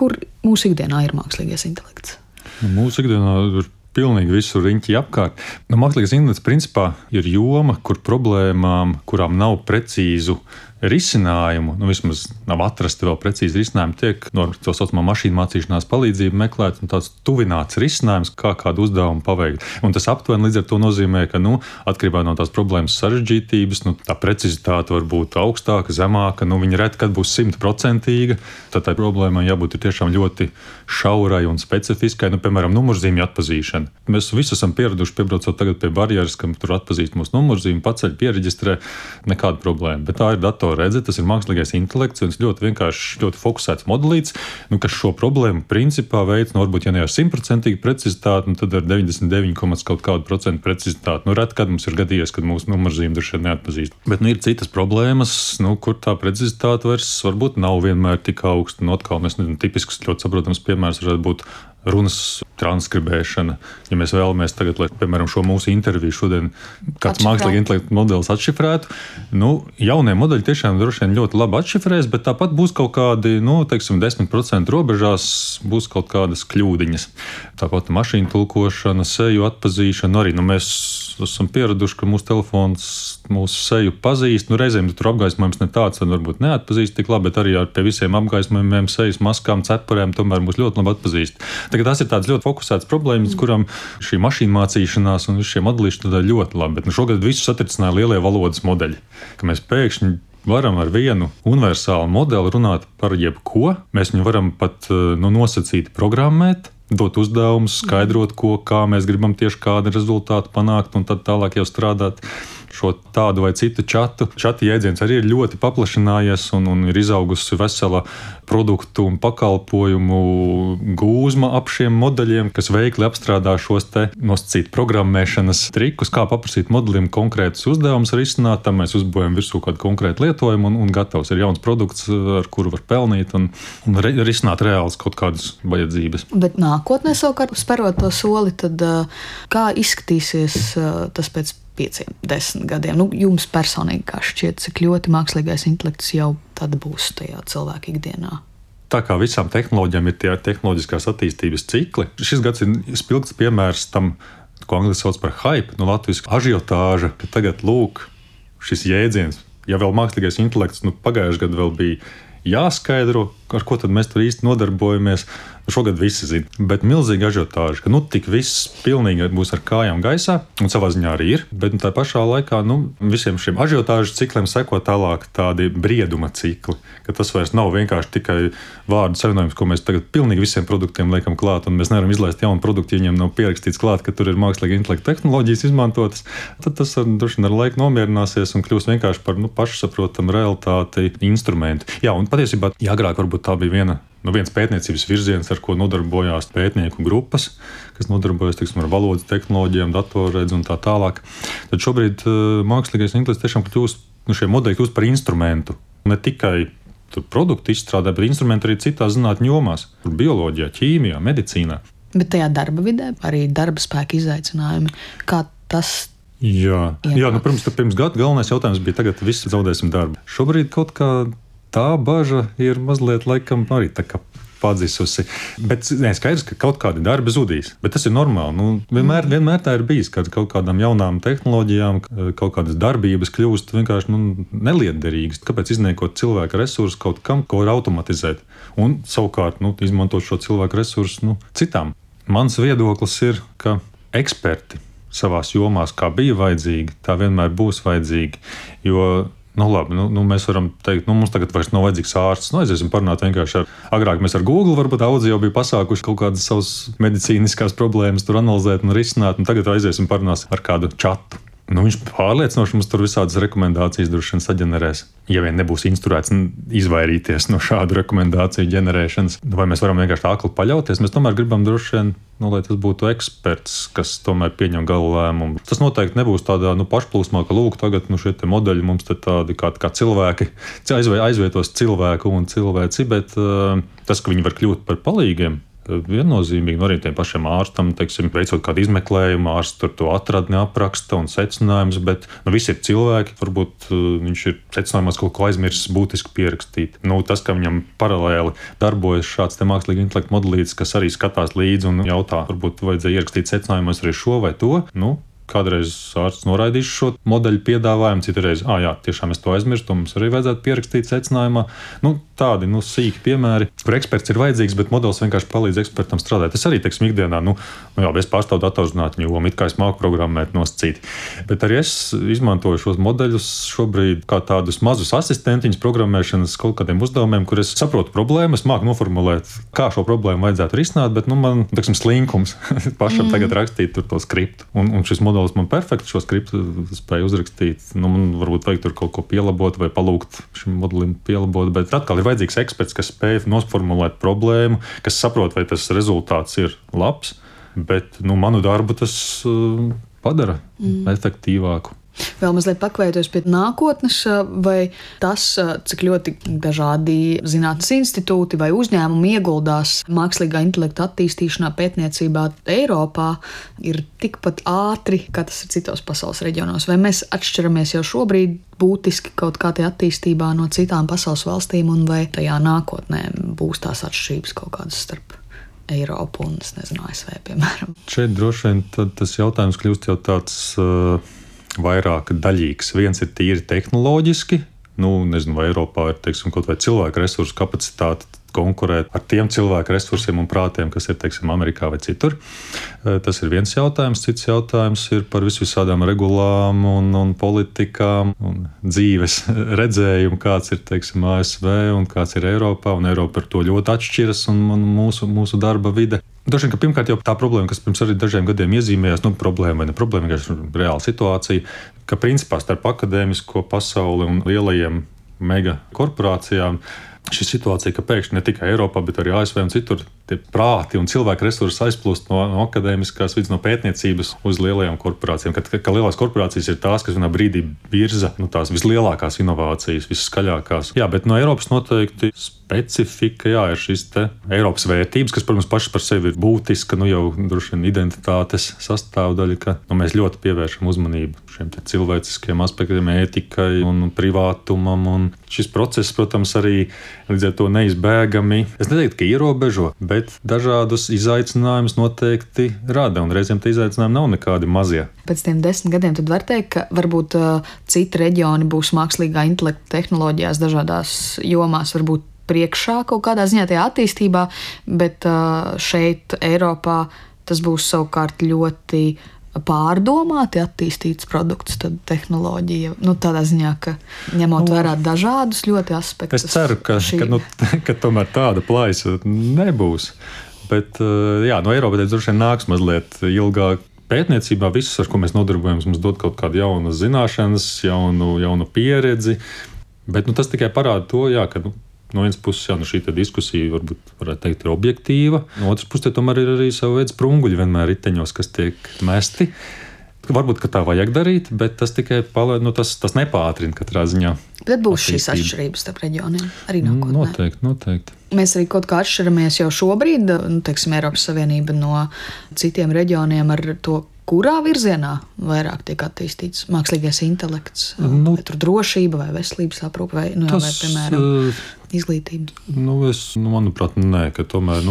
kur mūsu ikdienā ir mākslīgais intelekts? Mūsu ikdienā ir pilnīgi visur riņķi apkārt. Mākslīgais intelekts principā ir joma, kur problēmām, kurām nav precīzu risinājumu, vismaz nav atrasti vēl precīzi risinājumi, tiek no tā saucamā mašīnu mācīšanās palīdzību meklēt un tāds tuvināts risinājums, kā kādu uzdevumu paveikt. Un tas aptuveni līdz ar to nozīmē, ka atkarībā no tās problēmas sarežģītības, tā precizitāte var būt augstāka, zemāka, viņa reti, kad būs 100%. Tad tai problēmai jābūt tiešām ļoti šaurai un specifiskai, piemēram, numurzīmju atpazīšana. Mēs visi esam pieraduši piebraucot tagad pie barjeras, kam tur atpazīst mūsu numurzīmi, paceļ, piereģistrē, nekāda problēma. Bet tā ir datorredze, tas ir mākslīgais intelekts, un ļoti vienkārši, ļoti fokusēts modelīts, kas šo problēmu principā veids, varbūt, ja ne ar 100% precizitāti, tad ar 99,kaut kādu % precizitāti. Reti, kad mums ir gadījies, kad mūsu numurzīmi droši vien neatpazīst. Bet ir citas problēmas, kur tā precizitāte vairs varbūt nav vienmēr tik augsta. Atkal mēs tipisks, ļoti saprotams piemērs varētu būt runas transkribēšana. Ja mēs vēlamies tagad, lai, piemēram, šo mūsu interviju šodien kāds mākslīgi intelekta modelis atšifrētu, jaunie modeļi tiešām droši vien ļoti labi atšifrēs, bet tāpat būs kaut kādi, 10% robežās būs kaut kādas kļūdiņas. Tāpat mašīnu tulkošana, seju atpazīšana arī. Mēs esam pieraduši, ka mūsu telefons mūsu seju pazīst. Reizēm tur apgaismojums ne tāds, tad varbūt neatpazīst tik labi, bet arī pie visiem apgaismojumiem, sejas maskām, cepurēm tomēr mūs ļoti labi atpazīst. Tagad tas ir tāds ļoti fokusēts problēmas, kuram šī mašīna mācīšanās un šie modelīši tad ļoti labi. Bet šogad visu satricināja lielie valodas modeļi, ka mēs pēkšņi varam ar vienu universālu modeli runāt par jebko. Mēs viņu varam pat nosacīt programmēt, dot uzdevumus, skaidrot, kā mēs gribam tieši kādu rezultātu panākt un tad tālāk jau strādāt. Šo tādu vai citu čatu. Čata jēdziens arī ir ļoti paplašinājies un ir izaugusi vesela produktu un pakalpojumu gūzma ap šiem modeļiem, kas veikli apstrādā šos te nosacīt programmēšanas trikus, kā paprasīt modelim konkrētus uzdevumus risināt, tam mēs uzbūvējam virsū kādu konkrētu lietojumu un gatavs ir jauns produkts, ar kuru var pelnīt un risināt reāls kaut kādas vajadzības. Bet nākotnē savukārt sperot to soli, tad kā izskatīsies tas pēc 5-10 gadiem? Jums personīgi kā šķiet, cik ļoti mākslīgais intelekts jau tad būs tajā cilvēka ikdienā? Tā kā visām tehnoloģijām ir tie tehnoloģiskās attīstības cikli, šis gads ir spilgts piemērs tam, ko angliski sauc par hype, latviski ažiotāža, ka tagad lūk šis jēdziens, ja vēl mākslīgais intelekts, pagājušajā gadā vēl bija jāskaidro, ar ko tad mēs tur īsti nodarbojamies. Šogad visi zina, bet milzīgi ažiotāži, ka tik viss pilnīgi būs ar kājām gaisā, un savā ziņā arī ir, bet tā pašā laikā visiem šiem ažiotāžu cikliem seko tālāk tādi brieduma cikli, ka tas vairs nav vienkārši tikai vārdu savienojums, ko mēs tagad pilnīgi visiem produktiem liekam klāt, un mēs nevaram izlaist jaunu produktu, ja viņiem nav pierakstīts klāt, ka tur ir mākslīga intelekta tehnoloģijas izmantotas, tad tas droši vien ar laiku nomierināsies un kļūs vienkārši par pašsaprotamu realitāti instrumentu. Jā, un patiesībā agrāk varbūt tā bija viens pētniecības virziens, ar ko nodarbojās pētnieku grupas, kas nodarbojas ar valodas tehnoloģijām, datorredzi un tā tālāk. Tad šobrīd mākslīgais intelekts tiešām kļūst, šie modeļi kļūst par instrumentu. Ne tikai produktu izstrādē, bet instrumentu arī citās zinātņu jomās. Bioloģijā, ķīmijā, medicīnā. Bet tajā darba vidē arī darba spēka izaicinājumi. Kā tas Jā, protams, ka pirms gada galvenais jautājums bija tagad visi zaudēsim darbu. Šobrīd kaut kā tā baža ir mazliet laikam arī tā kā padzisusi. Bet skaidrs, ka kaut kādi darbi zudīs. Bet tas ir normāli. Vienmēr tā ir bijis, ka kaut kādām jaunām tehnoloģijām, kaut kādas darbības kļūst vienkārši nelietderīgas. Kāpēc izniekot cilvēku resursus kaut kam, ko var automatizēt? Un savukārt izmantot šo cilvēku resursus citām. Mans viedoklis ir, ka eksperti savās jomās, kā bija vajadzīgi, tā vienmēr būs vajadzīgi. Jo mēs varam teikt, mums tagad vairs nav vajadzīgs ārsts. Aiziesim parunāt vienkārši agrāk mēs ar Google varbūt audio bija pasākuši kaut kādas savas medicīniskās problēmas tur analizēt un risināt, un tagad aiziesim parunāt ar kādu čatu. Viņš pārliecinoši mums tur visādas rekomendācijas droši vien saģenerēs. Ja vien nebūs instruēts izvairīties no šādu rekomendāciju ģenerēšanas, vai mēs varam vienkārši akli paļauties, mēs tomēr gribam droši vien, lai tas būtu eksperts, kas tomēr pieņem galu lēmumu. Tas noteikti nebūs tādā pašplūsmā, ka lūk, tagad šie te modeļi mums te tādi kā cilvēki, aizvietos cilvēku un cilvēci, bet tas, ka viņi var kļūt par palīgiem viennozīmīgi. Arī tiem pašiem ārstam, teiksim, veicot kādu izmeklējumu, ārsts tur to atradni apraksta un secinājums, bet visi ir cilvēki. Varbūt viņš ir secinājumos kaut ko aizmirsis būtiski pierakstīt. Tas, ka viņam paralēli darbojas šāds te mākslīga intelekta modelītis, kas arī skatās līdzi un jautā, varbūt vajadzēja ierakstīt secinājumos arī šo vai to. Kādreiz ārsts noraidīs šo modeļu piedāvājumu, citreiz, jā, tiešām es to aizmirstu, to mums arī vajadzētu pierakstīt secinājumā. Tādi sīki piemēri, kur eksperts ir vajadzīgs, bet modelis vienkārši palīdz ekspertam strādāt. Es arī, teiksim, ikdienā, es pārstāvu datorzinātņu jomu, it kā es māku programmēt nosacīti. Bet arī es izmantoju šos modeļus šobrīd kā tādus mazus asistentiņus programmēšanas kaut kādiem uzdevumiem, kur es saprotu problēmu, es māku noformulēt, kā šo problēmu vajadzētu risināt, bet man, teiksim, slinkums pašam tagad rakstīt tur to skriptu. Un šis modelis man perfekti šo skriptu spēja uzrakstīt. Man varbūt vajag tur kaut ko pielabot vai palūgt šim modelim pielabot, bet atkal ir vajadzīgs eksperts, kas spēj nosformulēt problēmu, kas saprot, vai tas rezultāts ir labs, bet manu darbu tas padara efektīvāku. Vēl mazliet pakavējoties pie nākotnes, vai tas, cik ļoti dažādi zinātnes institūti vai uzņēmumi ieguldās mākslīgā intelekta attīstīšanā, pētniecībā Eiropā, ir tikpat ātri, kā tas ir citos pasaules reģionos? Vai mēs atšķiramies jau šobrīd būtiski kaut kā tie attīstībā no citām pasaules valstīm, un vai tajā nākotnē būs tās atšķirības kaut kādas starp Eiropu un, ASV, piemēram? Šeit droši vien tas jautājums kļūst jau tāds vairāk daļīgs. Viens ir tīri tehnoloģiski, vai Eiropā ir, teiksim, kaut vai cilvēku resursu kapacitāte konkurēt ar tiem cilvēku resursiem un prātiem, kas ir, teiksim, Amerikā vai citur. Tas ir viens jautājums. Cits jautājums ir par visādām regulām un politikām un dzīves redzējumu, kāds ir, teiksim, ASV un kāds ir Eiropā, un Eiropa par to ļoti atšķiras un mūsu darba vide. Droši vien, ka pirmkārt jau tā problēma, kas pirms arī dažiem gadiem iezīmējās, problēma vai ne problēma, vienkārši reāla situācija, ka principā starp akadēmisko pasauli un lielajiem mega korporācijām šī situācija, ka pēkšņi ne tikai Eiropā, bet arī ASV un citur tie prāti un cilvēku resursi aizplūst no akadēmiskās vidas, no pētniecības uz lielajām korporācijām. Ka lielās korporācijas ir tās, kas vienā brīdī virza tās vislielākās inovācijas, visskaļākās. Jā, bet no Eiropas noteikti specifika, ir šis te Eiropas vērtības, kas, protams, pašas par sevi ir būtiska, jau droši vien identitātes sastāvdaļa, ka mēs ļoti pievēršam uzmanību šiem te cilvēciskiem aspektiem, ētikai un privātumam. Un šis process, protams, arī līdz ar to neizbēgami, es neteiktu, ka ierobežo, bet dažādus izaicinājumus noteikti rada, un reizēm tie izaicinājumi nav nekādi mazie. Pēc tiem 10 gadiem tad var teikt, ka varbūt citi reģioni būs mākslīgā intelekta tehnoloģijās dažādās jomās, varbūt priekšā kaut kādā ziņā tajā attīstībā, bet šeit Eiropā tas būs savukārt ļoti pārdomāti attīstīts produkts, tad tehnoloģija, tādā ziņā, ka ņemot vērā dažādus ļoti aspektus. Es ceru, ka tomēr tāda plaisa nebūs, bet no Eiropas droši vien nāks mazliet ilgāk. Pētniecībā visus, ar ko mēs nodarbojamies, mums dod kaut kādu jaunu zināšanas, jaunu pieredzi, bet tas tikai parāda to, ka no vienas puses, šī diskusija varētu teikt ir objektīva, no otras puses, tomēr ir arī sava veida sprunguļi vienmēr riteņos, kas tiek mesti. Varbūt, ka tā vajag darīt, bet tas tikai tas nepātrina katrā ziņā. Bet būs šīs atšķirības starp reģioniem arī nākotnē. Noteikti. Mēs arī kaut kā atšķiramies jau šobrīd, teiksim, Eiropas Savienība no citiem reģioniem ar to, kurā virzienā vairāk tiek attīstīts mākslīgais intelekts, vai tur drošība, vai veselības aprūpe, vai, vai, piemēram, izglītība. Manuprāt, nē, ka tomēr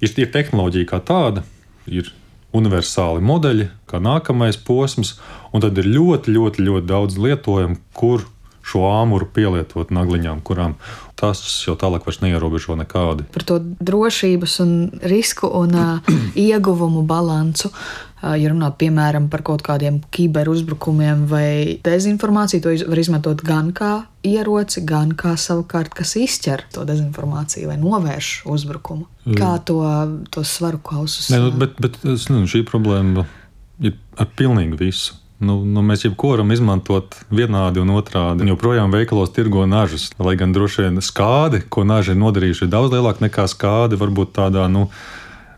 ir tehnoloģija kā tāda, ir universāli modeļi, kā nākamais posms, un tad ir ļoti, ļoti, ļoti daudz lietojumu, kur šo āmuru pielietot nagliņām, kurām tas jau tālāk vairs neierobežo nekādi. Par to drošības un risku un ieguvumu balansu, ja runā, piemēram, par kaut kādiem kiberuzbrukumiem vai dezinformāciju, to var izmantot gan kā ieroci, gan kā savukārt, kas izķer to dezinformāciju vai novērš uzbrukumu. Kā to svaru kausus? Bet šī problēma ir ar pilnīgi visu. Mēs jebko varam izmantot vienādi un otrādi. Joprojām veikalos tirgo nažas, lai gan droši vien skādi, ko naži ir nodarījuši, ir daudz lielāka nekā skādi varbūt tādā,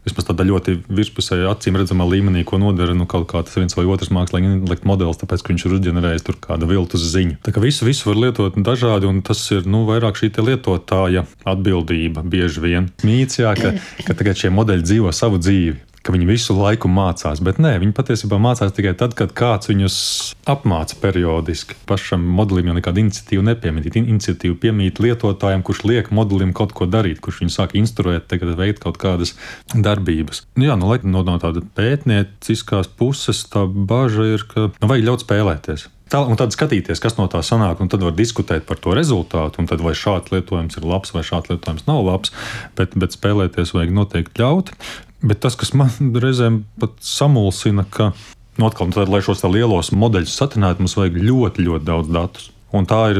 vismaz tādā ļoti virspusēji acīm redzamā līmenī, ko nodara kaut kāds viens vai otrs mākslīgi intelekta modelis, tāpēc, ka viņš ir uzģenerējis tur kādu viltus ziņu. Tā kā visu var lietot dažādi, un tas ir vairāk šī lietotāja atbildība bieži vien. Mīts, jā, ka tagad šie modeļi dzīvo savu dzīvi, ka viņi visu laiku mācās, bet nē, viņi patiesībā mācās tikai tad, kad kāds viņus apmāca periodiski. Pašam modelim jau nekāda iniciatīva nepiemīt. Iniciatīva piemīt lietotājiem, kurš liek modelim kaut ko darīt, kurš viņu sāk instruēt, tagad veikt kaut kādas darbības. Jā, lai no tāda pētnieciskās puses tā baža ir, ka vajag ļaut spēlēties. Un tad skatīties, kas no tā sanāk, un tad var diskutēt par to rezultātu, un tad vai šāds lietojums ir labs, vai šāds lietojums nav labs, bet spēlēties vajag noteikti ļaut. Bet tas, kas man reizēm pat samulsina, ka, atkal, lai šos lielos modeļus satinētu, mums vajag ļoti, ļoti daudz datus. Un tā ir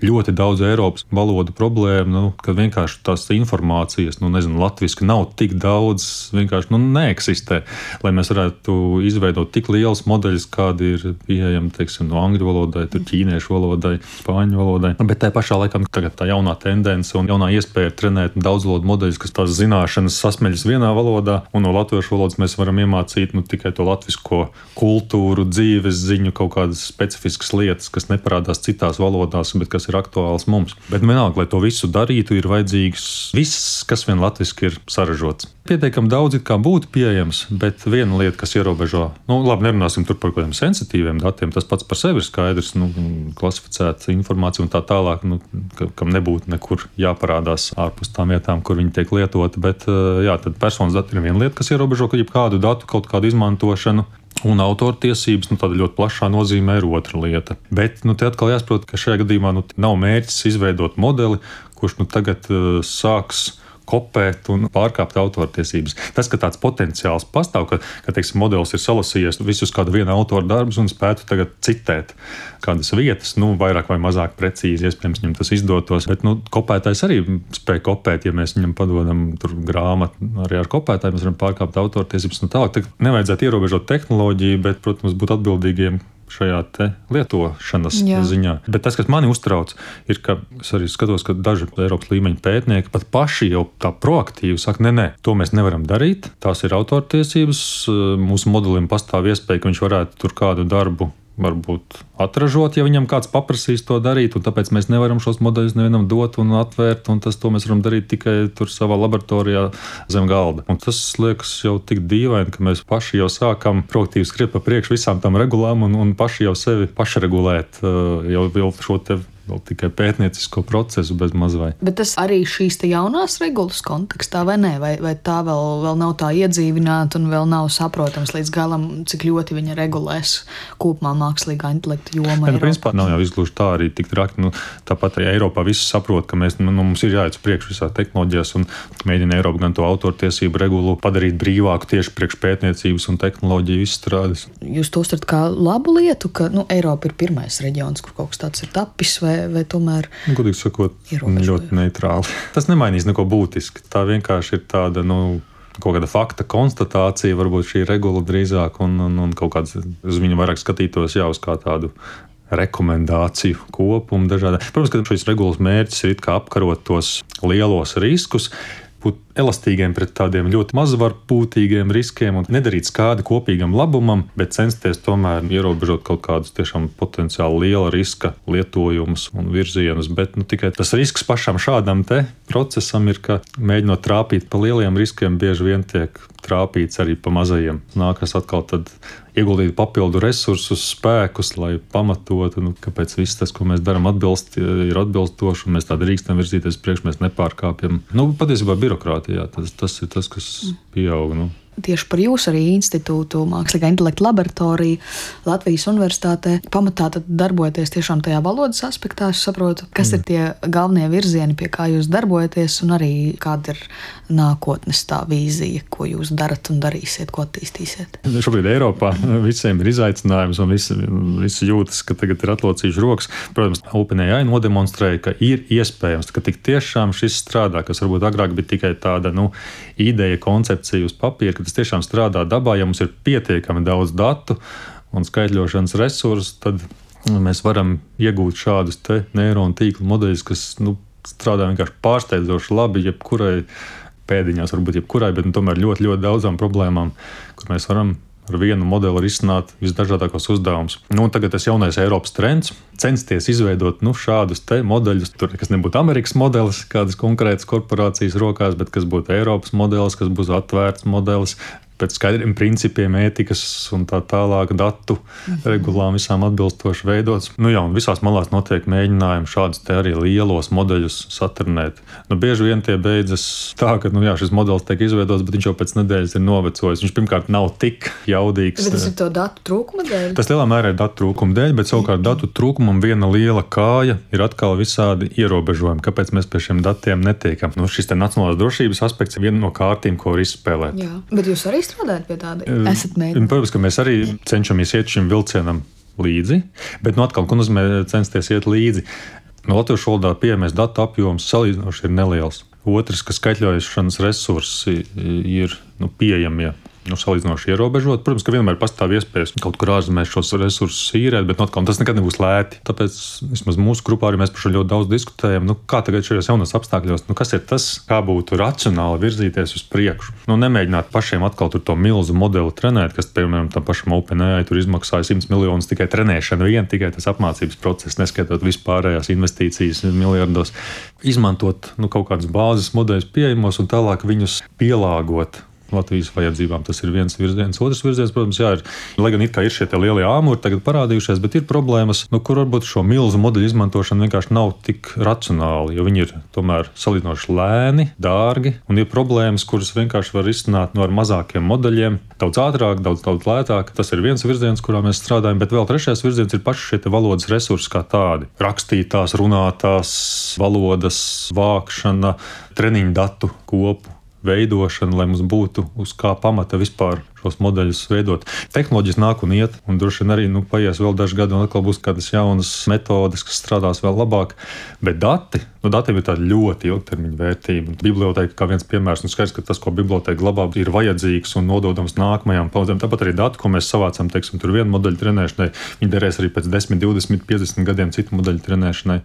ļoti daudz Eiropas valodu problēma, kad vienkārši tās informācijas, latviski nav tik daudz, vienkārši neeksistē, lai mēs varētu izveidot tik liels modeļus, kādi ir pieejami, no angļu valodai, ķīniešu valodai, spāņu valodai. Bet tā pašā laikā tagad tā jaunā tendence un jaunā iespēja trenēt daudzvalodu modeļus, kas tās zināšanas sasmeļas vienā valodā, un no latviešu valodas mēs varam iemācīt tikai to latvisko kultūru, dzīves ziņu, kaut kādas specifiskas lietas, kas neparādās citās valodās, bet kas ir aktuāls mums. Bet vienalga, lai to visu darītu, ir vajadzīgs viss, kas vien latviski ir saražots. Pietiekami daudz kā būtu pieejams, bet viena lieta, kas ierobežo, labi, nerunāsim tur par kādiem sensitīviem datiem, tas pats par sevi ir skaidrs, klasificēta informācija un tā tālāk, kam nebūtu nekur jāparādās ārpus tām vietām, kur viņi tiek lietoti, bet jā, tad personas dati ir viena lieta, kas ierobežo jebkādu datu kaut kādu izmantošanu. Un autortiesības, tāda ļoti plašā nozīmē ir otra lieta. Bet te atkal jāsaprot, ka šajā gadījumā nav mērķis izveidot modeli, kurš tagad sāks kopēt un pārkāpt autortiesības. Tas, ka tāds potenciāls pastāv, ka teiksim, modelis ir salasījies visus kāda viena autora darbus un spētu tagad citēt kādas vietas, vairāk vai mazāk precīzi, iespējams, viņam tas izdotos. Bet kopētājs arī spēj kopēt, ja mēs viņam padodam tur grāmatu arī ar kopētāju, mēs varam pārkāpt autortiesības un tālāk. Nevajadzētu ierobežot tehnoloģiju, bet, protams, būt atbildīgiem šajā lietošanas ziņā. Bet tas, kas mani uztrauc, ir, ka es arī skatos, ka daži Eiropas līmeņa pētnieki pat paši jau tā proaktīvi saka, nē, to mēs nevaram darīt, tās ir autortiesības, mūsu modelim pastāv iespēja, ka viņš varētu tur kādu darbu varbūt atražot, ja viņam kāds paprasīs to darīt, un tāpēc mēs nevaram šos modeļus nevienam dot un atvērt, un to mēs varam darīt tikai tur savā laboratorijā zem galda. Un tas liekas jau tik dīvaini, ka mēs paši jau sākam proaktīvi skriet pa priekšu visām tām regulām un paši jau sevi pašregulēt jau šo te vēl tikai pētniecisko procesu bez mazvai. Bet tas arī šīs jaunās regulas kontekstā, vai nē? Vai tā vēl nav tā iedzīvināta un vēl nav saprotams līdz galam, cik ļoti viņa regulēs kopumā mākslīgā intelekta jomā? Principā nav jau izgluži tā arī tik traki. Tāpat arī Eiropā visi saprot, ka mums ir jāiet uz priekšu visā tehnoloģijās un mēģina Eiropa gan to autortiesību regulu padarīt brīvāku tieši priekš pētniecības un tehnoloģiju izstrādes. Jūs to uztverat kā labu lietu, ka Eiropa ir pirmais reģions, kur kaut kas tāds ir tapis, vai tomēr godīgi sakot, ļoti neitrāli. Tas nemainīs neko būtiski. Tā vienkārši ir tāda, kaut kāda fakta konstatācija, varbūt šī regula drīzāk un kaut kāds uz viņu vairāk skatītos uz kā tādu rekomendāciju kopumu dažādi. Protams, ka šīs regulas mērķis ir kā apkarot tos lielos riskus, būt elastīgiem pret tādiem ļoti mazvarpūtīgiem riskiem un nedarīt skādi kopīgam labumam, bet censties tomēr ierobežot kaut kādus tiešām potenciāli liela riska lietojumus un virzienus. Bet tikai tas risks pašam šādam procesam ir, ka mēģinot trāpīt pa lieliem riskiem, bieži vien tiek trāpīts arī pa mazajiem. Nākas atkal tad ieguldīt papildu resursus, spēkus, lai pamatotu, kāpēc viss tas, ko mēs darām, ir atbilstoši, un mēs tā drīkstam virzīties priekš, mēs nepārkāpjam. Patiesībā birokrātijā tas ir tas, kas pieaug. Tieši par jūsu arī institūtu, Mākslīgā intelekta laboratoriju Latvijas Universitātē pamatā darbojaties tiešām tajā valodas aspektā. Es saprotu, kas ir tie galvenie virzieni, pie kā jūs darbojaties, un arī kāda ir nākotnes tā vīzija, ko jūs darat un darīsiet, ko attīstīsiet. Šobrīd Eiropā visiem ir izaicinājums, un visi jūtas, ka tagad ir atlocījuši rokas. Protams, OpenAI nodemonstrēja, ka ir iespējams, ka tik tiešām šis strādā, kas varbūt agrāk bija tikai tāda ideja, koncepcija uz papīra, ka tas tiešām strādā dabā. Ja mums ir pietiekami daudz datu un skaitļošanas resursu, tad mēs varam iegūt šādus neironu tīklu modeļus, kas strādā vienkārši pārsteidzoši labi jebkurai pēdiņās, varbūt jebkurai, bet tomēr ļoti, ļoti daudzām problēmām, kur mēs varam ar vienu modeli risināt visdažādākos uzdevumus. Tagad tas jaunais Eiropas trends censties izveidot šādus te modeļus. Tur nekas nebūtu Amerikas modelis, kādas konkrētas korporācijas rokās, bet kas būtu Eiropas modelis, kas būs atvērts modelis, pēc skaidriem principiem, ētikas un tā tālāk datu regulām visām atbilstoši veidots. Un visās malās notiek mēģinājumi šādus te arī lielos modeļus saturnēt. Bieži vien tie beidzas tā, ka šis modelis tiek izveidots, bet viņš jau pēc nedēļas ir novecojis. Viņš pirmkārt nav tik jaudīgs. Bet tas ir to datu trūkuma dēļ? Tas lielā mērā ir datu trūkuma dēļ, bet savukārt datu trūkumam viena liela kāja ir atkal visādi ierobežojumi, kāpēc mēs pie šiem datiem netiekam. Šis te nacionālās drošības aspekts ir viena no kārtīm, ko var izspēlēt. Jā, bet jūs arī strādājat pie tāda? Esat mēģinājumi? Protams, ka mēs arī cenšamies iet šim vilcienam līdzi, bet atkal, ko nozīmē censties iet līdzi? Latviešu valodā pieejamais datu apjoms salīdzinoši ir neliels. Otrs, ka skaitļošanas resursi ir pieejamie. Salīdzinoši ierobežot. Protams, ka vienmēr pastāv iespējas kaut kur ārzemēs šos resursus īrēt, bet tas nekad nebūs lēti. Tāpēc vismaz mūsu grupā arī mēs par šo ļoti daudz diskutējam. Kā tagad šajos jaunos apstākļos, kas ir tas, kā būtu racionāli virzīties uz priekšu? Nemēģināt pašiem atkal to milzu modeli trenēt, kas, piemēram, tam pašam OpenAI tur izmaksāja 100 miljonus tikai trenēšana tikai tas apmācības process, neskaitot vispārējās investīcijas miljardos. Izmantot kaut kādas bāzes modeļus pieejamos un tālāk viņus pielāgot Latvijas vajadzībām. Tas ir viens virziens. Otrs virziens, protams, ir, lai gan ir šie lielie āmuri tagad parādījušies, bet ir problēmas, kur varbūt šo milzu modeļu izmantošana vienkārši nav tik racionāli, jo viņi ir tomēr salīdzinoši lēni, dārgi, un ir problēmas, kuras vienkārši var izsnāt ar mazākiem modeļiem, daudz ātrāk, daudz lētāk. Tas ir viens virziens, kurā mēs strādājam, bet vēl trešais virziens ir paši šie valodas resursi kā tādi. Rakstītās, runātās valodas vākšana, treniņu datu kopu veidošana, lai mums būtu uz kā pamata vispār šos modeļus veidot. Tehnoloģijas nāk un iet, un droši vien arī paies vēl daži gadi, un atkal būs kādas jaunas metodes, kas strādās vēl labāk. Bet datiem ir tāda ļoti ilgtermiņa vērtība. Biblioteka kā viens piemērs, skaidrs, ka tas, ko biblioteka glabā, ir vajadzīgs un nododams nākamajām paudzēm. Tāpat arī dati, ko mēs savācam, tur vienu modeļu trenēšanai, viņi derēs arī pēc 10, 20, 50 gadiem citu modeļu trenēšanai.